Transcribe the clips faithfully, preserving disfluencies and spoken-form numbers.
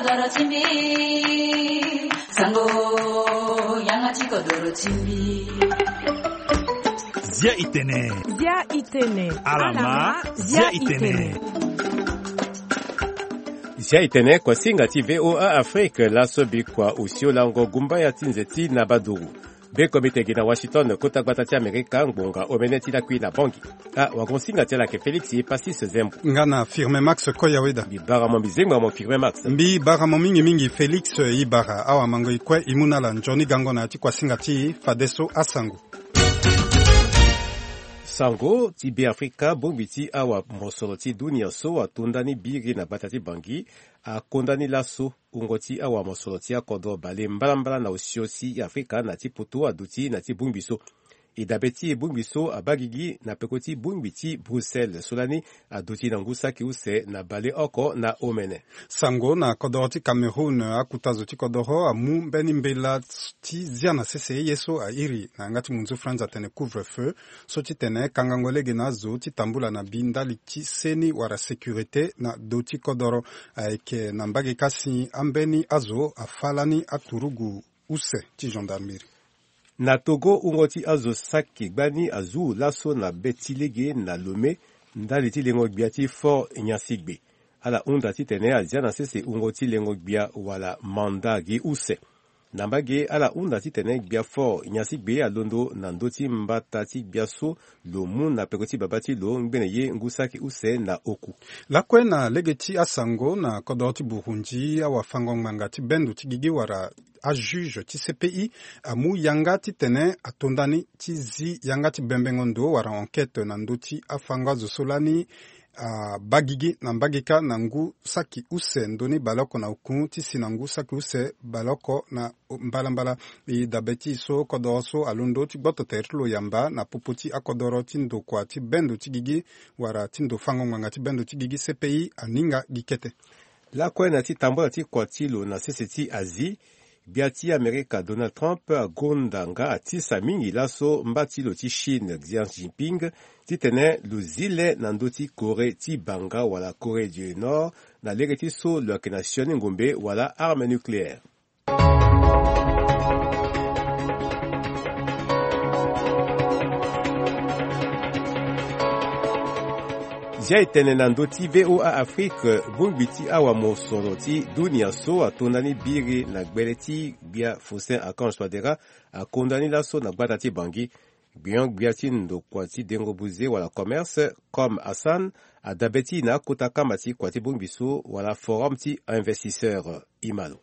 Doro ti mbi, sango, yanga ti kodoro ti mbi. Zia itene. Zia itene. Alama, zia itene. Zia itene, kuasinga ti V O A Afrique, laso bikua osio lango gumbaya ti nze ti na baduru. Be komite gi na Washington, kota gbata ti Amerika, ngbonga omene ti lakui na Bangui. Ah, wagonsinga ti ala ayeke Félix Passis Zembo. Nga na Firmin Max Koyaweda. Mbi bara mo, mbi zengba mo Firmin Max. Mbi bara mo mingi mingi Félix, e bara. Awamango e kue e mu na ala nzoni gango na ya ti kuasinga ti e, fadeso asango. Sango ti Beafrika, bongbi ti awamosoro ti dunia so atonda ni biri na gbata ti Bangui, akonda ni laso wungo ti awamosoro ti akodro bale mbalambala na osio ti Afrika na ti poto aduti na ti bongbi so. E dabe ti e bongbi so abaa gigi na peko ti bongbi ti Bruxelles so lani aduti na ngu saki use na baleoko na omene. Sango na kodoro ti Cameroun, akuta zo ti kodoro amu mbeni mbela ti zia na sese ye so a iri na yanga ti munzu France atene couvre-feu, so ti tene kangango lege na azo ti tambula na bi ndali ti seni wala sécurité na do ti kodoro. Ayeke na mbage kasi ambeni azo afa lani aturugu use ti gendarmerie. Na Togo, wungo ti azo saki gbani azu laso na be ti lege na Lomé, ndali ti lengo gbia ti Fort Nyansigbe. Ala hunda titene azia na sese wungo ti lengo gbia wala manda gi use. Na mbage, ala hunda titene gbia Fort Nyansigbe alondo na ndö ti mbata ti gbia so lo mu na peko ti babâ ti lo ngbene ye ngu saki use na oku. Lakue na lege ti asango na kodoro ti Burundi, awafango ngbanga ti bendo ti gigi wala ajuge ti C P I amu yanga titene atonda ni ti zi yanga ti bembengo ndo wala enquête na ndö ti afango azo so lani abaa gigi na mbage kâ na ngu saki use ndoni baleoko na oku ti si na ngu saki use baleoko na mbalambala. E dabe ti e so kodoro so alondo ti gboto tere ti lo yamba na popo ti akodoro ti ndokua ti bendo ti gigi wala ti ndo fango ngbanga ti bendo ti gigi C P I aninga gi kete. Lakue na ti tambula ti kua ti lo na sese ti Asie, gbia ti Amerika Donald Trump agonda nga atisa mingi laso mba ti lo ti Chine Xi Jinping titene lo zi le na ndö ti Corée ti banga wala Corée du Nord na lege ti so lo yeke na sioni ngombe wala arme nucléaire. Zia e tene na ndö ti V O A Afrique, bongbi ti awamosoro ti dunia so atonda ni biri na gbele ti gbia Faustin Archange Touadéra akonda ni laso na gbata ti Bangui. Gbion-gbia ti ndokua ti dengo buze wala commerce, Comme Hassan, adabe ti e na akota kamba ti kua ti bongbi so wala forum ti investisseur. Imalo.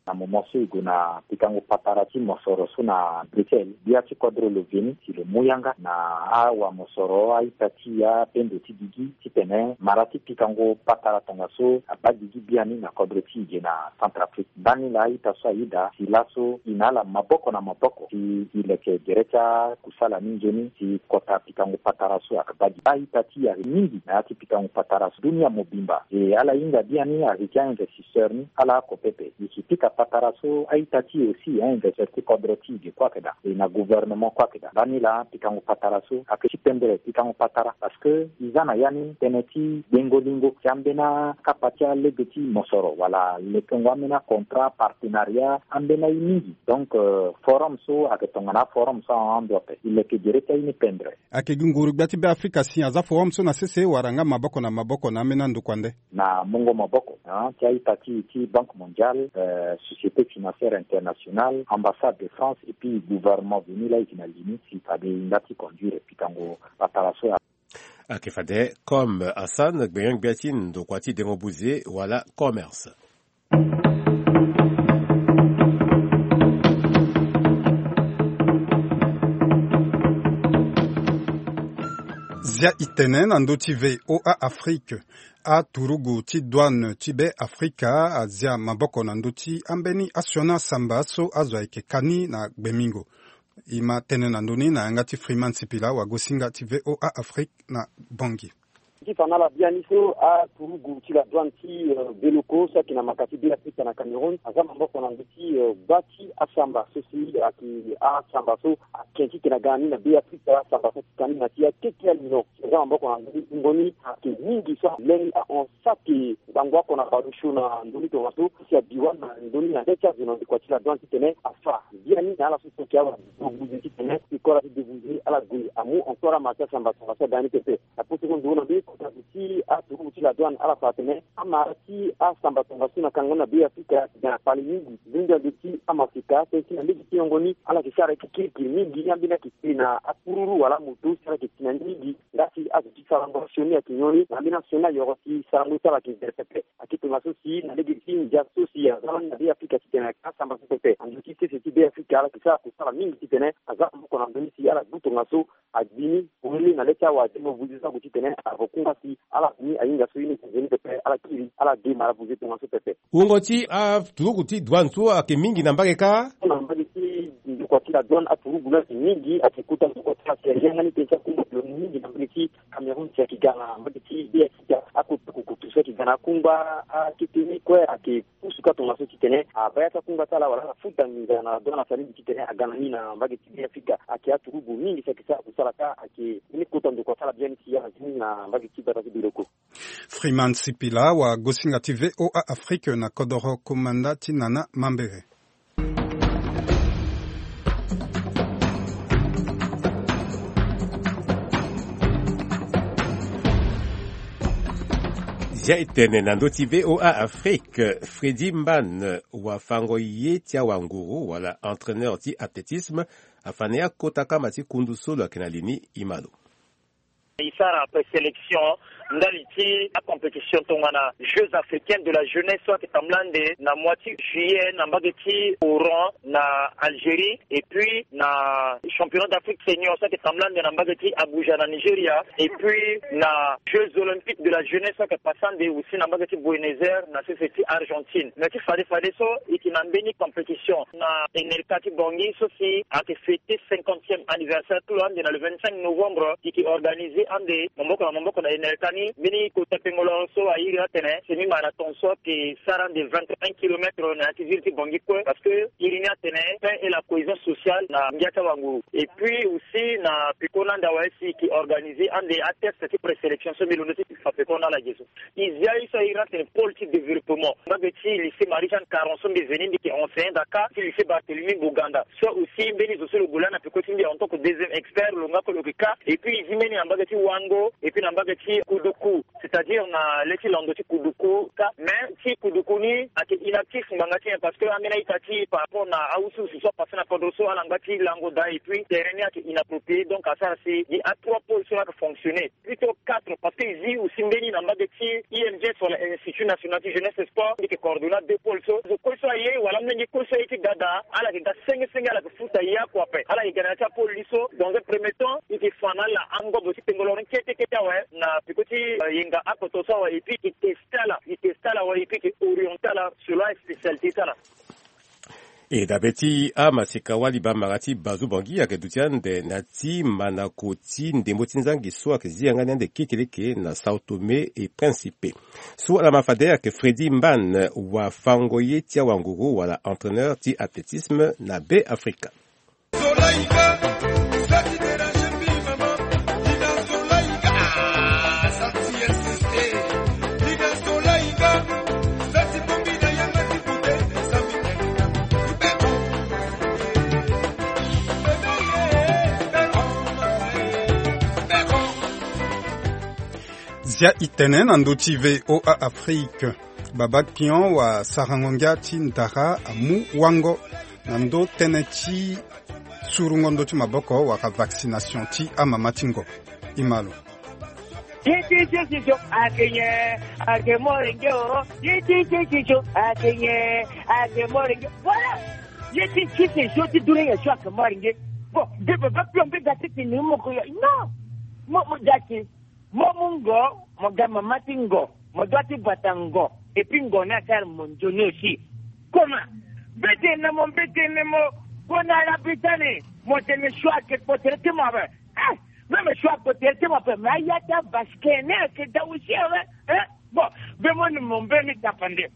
Na moment so e gue na pikango patara ti mosoro so na Bruxelles, gbia ti kodro lo veni si lo mu yanga na awamosoro, a-ita ti e, abendo ti gigi titene mara ti pikango patara tongaso abaa gigi biani na kodro ti e ge na Centrafrique. Ndani laa a-ita so aye daa si laso e na ala maboko na maboko si e leke gere ti akusala ni nzoni si kota pikango patara so abaa gigi. A-ita ti e ayeke mingi na ya ti pikango patara so dunia mobimba. E ala hinga biani ayeke a-investisseur ni ala oko pepe. E si pika patara so a-ita ti e aussi a-investisseur ti kodro ti e ge kue ayeke daa. E na gouvernement kue ayeke daa. Ndani laa pikango patara so ayeke ti pendre pikango patara parce que e za na ya ni tënë ti gbengo lingo ti ambeni akapa ti alege ti mosoro wala lekengo ambeni acontrat partenariat ambeni aye mingi. Donc, euh, forum so ayeke tongana aforum so ahon ando ape. E leke gere ti aye ni pendre. Ayeke gi nguru gbia ti Beafrika si aza forum so na sese wala nga maboko na maboko na ambeni andokua nde? Na mungo maboko, ah, ti a-ita ti e ti Banque Mondiale, euh, Société Financière Internationale, Ambassade de France et puis gouvernement venu laa e yeke na li ni si fade e nga ti conduire pikango patara so. Ayeke fade Comme Hassan, gbenyo-gbia ti ndokua ti dengo buze wala commerce. Zia e tene na ndö ti V O A Afrique. Aturugu ti douane ti Beafrika azia maboko na ndö ti ambeni asioni asamba so azo ayeke ka ni na gbemingo. E ma tene na ndö ni na yanga ti Freeman Sipila, wagosinga ti V O A Afrique na Bangui. Ti fa na ala biani so aturugu ti la douane ti, euh, Beloko so ayeke na maka ti Beafrika na Cameroun aza maboko na ndö ti, euh, gba ti asamba so si ayeke asamba so ake titene aga na ni na Beafrika, asamba so atita ni na ti akeke alino. Aza maboko na ndö ni, wungo ni ayeke mingi so aleni ahon saki ngangu oko na baleosio na ndö ni tongaso. Si abiwa na ndö ni na nde ti azo na ndokua ti la douane titene afa biani na ala so si ayeke awa débouze titene ti kora ti débouze ala gue amu encore ama ti asamba tongaso aga na ni pepe. Aposo ndo na mbi kota ti aturugu ti la douane ala fa atene ama ti asamba tongaso na kango na Beafrika ayeke ga na kpale mingi. Zingbi ande ti amaseka tënë ti na lege ti yongo ni ala yeke sara ye ti kirikiri mingi. Ambeni ayeke te na akururu wala amoto si ala yeke ti na ni mingi. Nga si azo ti sarango sioni ayeke nyon ni na ambeni asioni ayoro ti sarango ti ala ayeke vere pepe. Ayeke tongaso si na lege ti ndia so si aza lani na Beafrika titene ayeke asamba so pepe. Ando ti sese ti Beafrika ala yeke sara kusala mingi titene aza maboko na ndö ni si ala du tongaso agbi ni polele na le ti awa ti mo vuzi so ague titene avo kungba si ala ni ahinga so ye ni ti nzoni pepe ala kiri ala de mara vuzi tongaso pepe. Wungo ti aturugu ti douane so ayeke mingi na mbage kâ. Na mbage ti ndokua ti la douane aturugu ni ayeke mingi, ayeke kota ndokua ti la si ahinga ni tënë ti akungba lo ni mingi na mbage ti Cameroun si ayeke ga na mbage ti Beafrika. Akota kukutu so ayeke ga na akungba akete ni kue ayeke pusu kâ tongaso titene abaa ya ti akungba ti ala wala ala futa nginza na douane asaleli titene aga na ni na mbage ti Beafrika. Ayeke aturugu mingi si ayeke sara kusala kâ ayeke ni kota ndokua ti ala biani si ala zi ni na mbage ti gbata ti Beloko. Freeman Sipila, wagosinga ti V O A Afrique na kodoro komanda ti Nana Mambere. Zia e tene na ndö ti V O A Afrique, Freddy Mbane, wafango ye ti awanguru wala entraîneur ti athlétisme, afa na ye akota kama ti kundu so lo yeke na li ni. E ma lo. E sara présélection ndali ti acompétition tongana Jeux africains de la jeunesse so ayeke tambula ande na mois ti juillet na mbage ti Oran na Algérie, et puis na championnat d'Afrique senior so ayeke tambula ande na mbage ti Abuja na Nigeria, et puis na Jeux olympiques de la jeunesse so ayeke pasa ande aussi na mbage ti Buenos Aires na sese ti Argentine. Mais ti fade fade so e yeke na mbeni compétition na Enelka ti Bangui so si ayeke fêter cinquantième anniversaire ti lo ande na le vingt-cinq novembre. E yeke organiser ande maboko na maboko na Enelka ni mbeni kota pengolo so a iri atene semi-marathon so ayeke sara ande vingt et un kilomètres na ya ti ville ti Bangui kue, parce que iri ni atene paix et la cohésion sociale na ngia ti awanguru. Et puis aussi na peko ni ande awe si e yeke organiser ande atest ti présélection so mbi londo ti fa peko ni ala ge so. E zia ye so a iri atene pôle ti développement mbage ti lycée Marie-Jeanne Caron so mbi veni mbi yeke enseignant daa kâ, ti lycée Barthélemy Boganda so aussi mbeni zo so lo gue lani na peko ti mbi en tant que deuxième expert lo nga kue lo yeke kâ. Et puis e zi mbeni na mbage ti Wango, et puis na mbage ti Kuduku, c'est-à-dire na le ti lando ti Kuduku kâ. Mais ti Kuduku ni ayeke inactif ngbanga ti nyen, parce que ambeni a-ita ti par rapport na awusuwusu so apase na kodro so ala ngba ti lango daa, et puis terrain ni ayeke inapproprié, donc asara si gi a trois pôles so ayeke fonctionner. Plutôt quatre, parce que e zi aussi mbeni na mbage ti I N J S wala Institut National ti Jeunesse et Sport, mbi yeke coordonner deux pôles so. Zo kue so aye wala amolenge kue so aye ti ga daa, ala yeke ga senge senge, ala yeke futa ye oko ape. Ala yeke ga na ya ti apôle ni so. Dans un premier temps e yeke fa na ala angobo ti tengolo ni kete kete awe na peko ti, euh, yenga akoto so awe, et puis e yeke teste ala, e yeke teste ala awe, et puis e yeke orienter ala selon aspécialité ti ala. E dabe ti amaseka wali bambara ti Bazu Bangui ayeke duti ande na ti manako ti ndembo ti nzangi so ayeke zi yanga ni ande kekeleke na Sao Tome et Principe. So ala ma fade ayeke Freddy Mbane, wafango ye ti awanguru wala entraîneur ti athlétisme na Be Afrika. Zia e tene na ndö ti V O A Afrique. Baba Kion, wasarango ngia ti ndara, amu wango na ndö tënë ti surungo ndö ti maboko wala vaccination ti amama ti ngo. E ma lo. Ye ti ti ti so ayeke nyen? Ayeke morenge o. Ye ti ti ti so ayeke nyen? Ayeke morenge. Voilà. Ye ti ti ti so ti dunia nyen so ayeke morenge? Bon, ge baba Kion mbi ga ti tene moko ya. Non. Mo, mo ga ti Mo mu ngo, mo ga mama ti ngo, mo doit ti bata ngo, et puis ngo ni asara mo nzoni aussi. Comment? Mbetene mo, mbetene mo, kue na ala bi tani, mo tene choix ayeke kpo tere ti mo awe. Eh! Même so akote ti mo ape, mais aya ti avasquer ni ayeke da aussi awe. Hein? Bon, be mo ni mo mbeni tapande.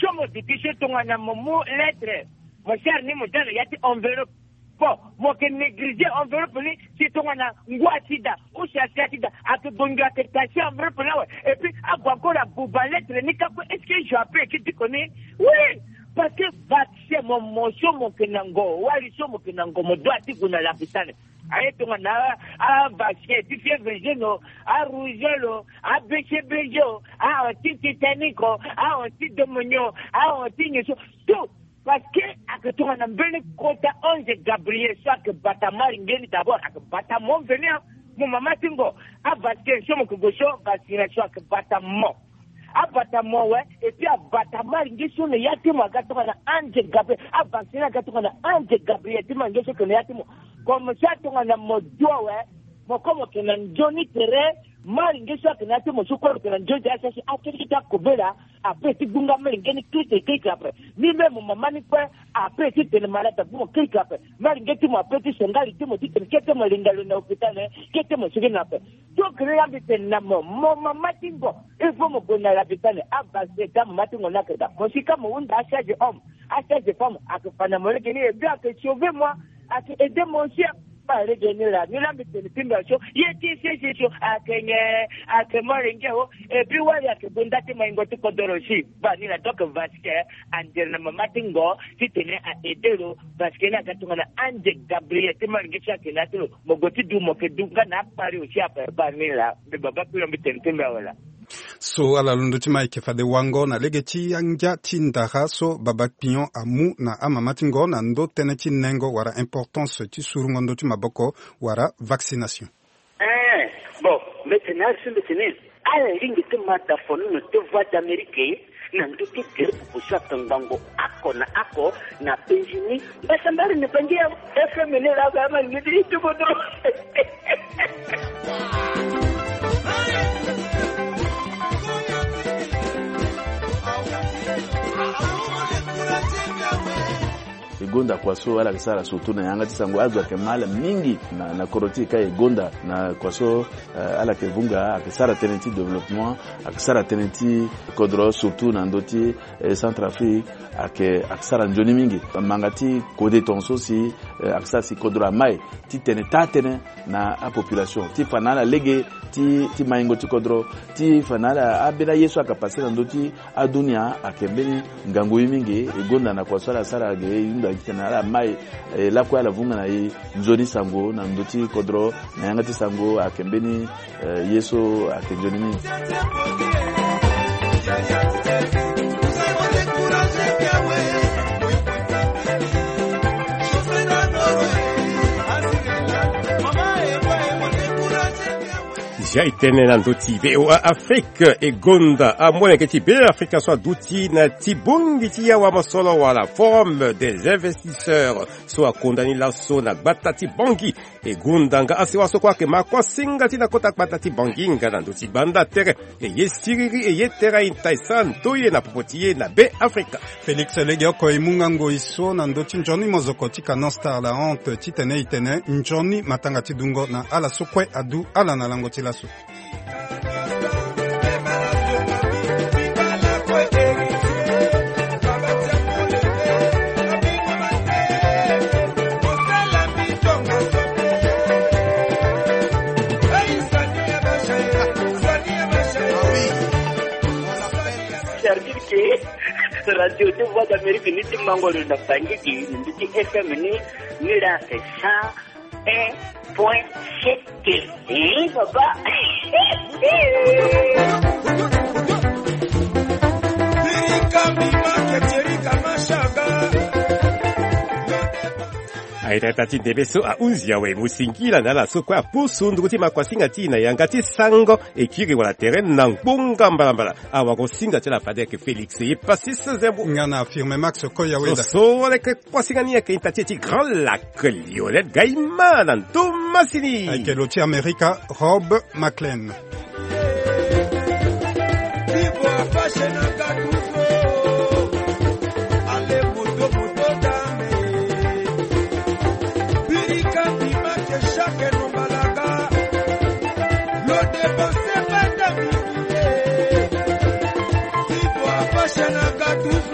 So mo duti so tongana mo mu lettre, mo sara ni mo da na ya ti enveloppe. Bon, mo yeke négliger enveloppe ni, si tongana ngu asi daa ou si asi asi daa, ayeke gonzo ayeke tacher enveloppe ni awe. Et puis ague encore abuba lettre ni ka kue. Est-ce que je appelle ki diko ni? Oui, parce que vaccin mo, mo so mo yeke na ngo, wali so mo yeke na ngo, mo doit ti gue na lapitale. Aye tongana a, a vaccin ti fièvre jaune o, a rougeole o, a B C B G o, a anti-tétanique o, a anti-pneumonie o, a anti nyen so, tout. Parce que ayeke tongana mbeni kota ange Gabriel so ayeke bata malinge ni d'abord, ayeke bata mo mveni. Mo mama ti ngo, a vaccin so mo yeke gue so, vaccination ayeke bata mo. Abata mo awe, et puis abata malinge so na ya ti mo aga tongana ange Gabriel. Avaccin aga tongana ange Gabriel ti malinge so yeke na ya ti mo. Comme ça tongana mo du awe, mo kue mo yeke na nzoni tere. Malinge so ayeke na ya ti mo so kue mo yeke na nzoni tere, asi asi akiri ti akobela. Ape ti gbunga malinge ni kirikiri kirikiri ape. Ni même mo mama ni kue, ape ti tene malade abu mo kirikiri ape. Malinge ti mo ape ti songali ti mo titene kete mo linga lo na hôpital, kete mo sigi na ape. Donc ni la mbi tene na mo, mo mama ti ngo, il faut mo gue na lapitale, avasé da mama ti ngo ni ayeke daa. Mo si ka mo hunda a charge homme, a charge femme ayeke fa na mo lege ni, et puis ayeke sauver moi, ayeke aider mo aussi. Ba lege ni la, ni la mbi tene ti mbi aso, ye ti sese so ayeke nyen? Ayeke molenge o. Et puis wali ayeke gue nda ti maingo ti kodoro si. Ba ni la, donc vasquer andere na mama ti ngo titene a aider lo, parce que ni aga tongana ange Gabriel ti malinge so ayeke na ya ti lo. Mo gue ti du, mo yeke du nga na akpari aussi ape. Ba ni la, mbi baba kpiri lo, mbi tene ti mbi awe la. So ala lo ndö ti ma ayeke fade wango na lege ti angia ti ndara so baba kpion amu na amama ti ngo na ndö tënë ti nengo wala importance ti surungo ndö ti maboko wala vaccination. Eh, bon, mbi tene ari so mbi tene, ala lingbi ti ma da fonono ti Voix d'Amérique na ndö ti gere popo so ayeke ngbangbo oko na oko na penzi ni. Mbasambari ni bangi ya F M ni la ga ma ni di ti kodro. E gonda kua so ala yeke sara surtout na yanga ti sango, azo ayeke ma ala mingi na, na kodro ti e ka e gonda na kua so, eh, ala yeke vunga, ayeke sara tënë ti développement, ayeke sara tënë ti kodro surtout na ndö ti, eh, Centrafrique, ayeke, ayeke sara nzoni mingi. Manga ti kode tongaso si, eh, ayeke sara si kodro amai titene taa tënë na apopulation ti fa na ala lege ti, ti maingo ti kodro, ti fa na ala ambeni aye so ayeke pase na ndö ti adunia ayeke mbeni ngangu ye mingi. E gonda na kua so ala sara ge e hunda gi titene ala mai, eh, lakue ala vunga na e nzoni sango na ndö ti kodro na yanga ti sango ayeke mbeni, eh, ye so ayeke nzoni mingi. Zia e tene na ndö ti V O A Afrique, e gonda amolenge ti Beafrika so aduti na ti bongi ti yawamosoro wala Forum des investisseurs so akonda ni laso na gbata ti Bangui. E gonda nga asewa so kue ayeke makuasinga ti na kota gbata ti Bangui nga na ndö ti banda tere. E ye siriri e ye tere aita e sara ndoye na popo ti e na Beafrika. Félix Legeoko e mu nga ngoi so na ndö ti nzoni mozoko ti Canon Star La Honte titene e tene nzoni matanga ti dungo na ala so kue adu ala na lango ti laso. Servir ke radio ti Voix d'Amérique ni ti mango lo na Bangui gi ndö ti F M ni, ni la ke cent un point sept. Eh, papa. Aita ti ndembe so ahunzi awe, mo singila na ala so kue apusu nduru ti makuasinga ti e na yanga ti sango, e kiri wala tere na ngbonga mbalambala. Awara singa ti ala fade ayeke Félix ye Passis Zembo. Nga na Firme Max Koya Weda. So, so leke kuasinga ni ayeke ita ti e ti Grand Lac, Lionel Gaïma na ndo masini. Ayeke lo ti Amerika, Rob McLean. Senegal tous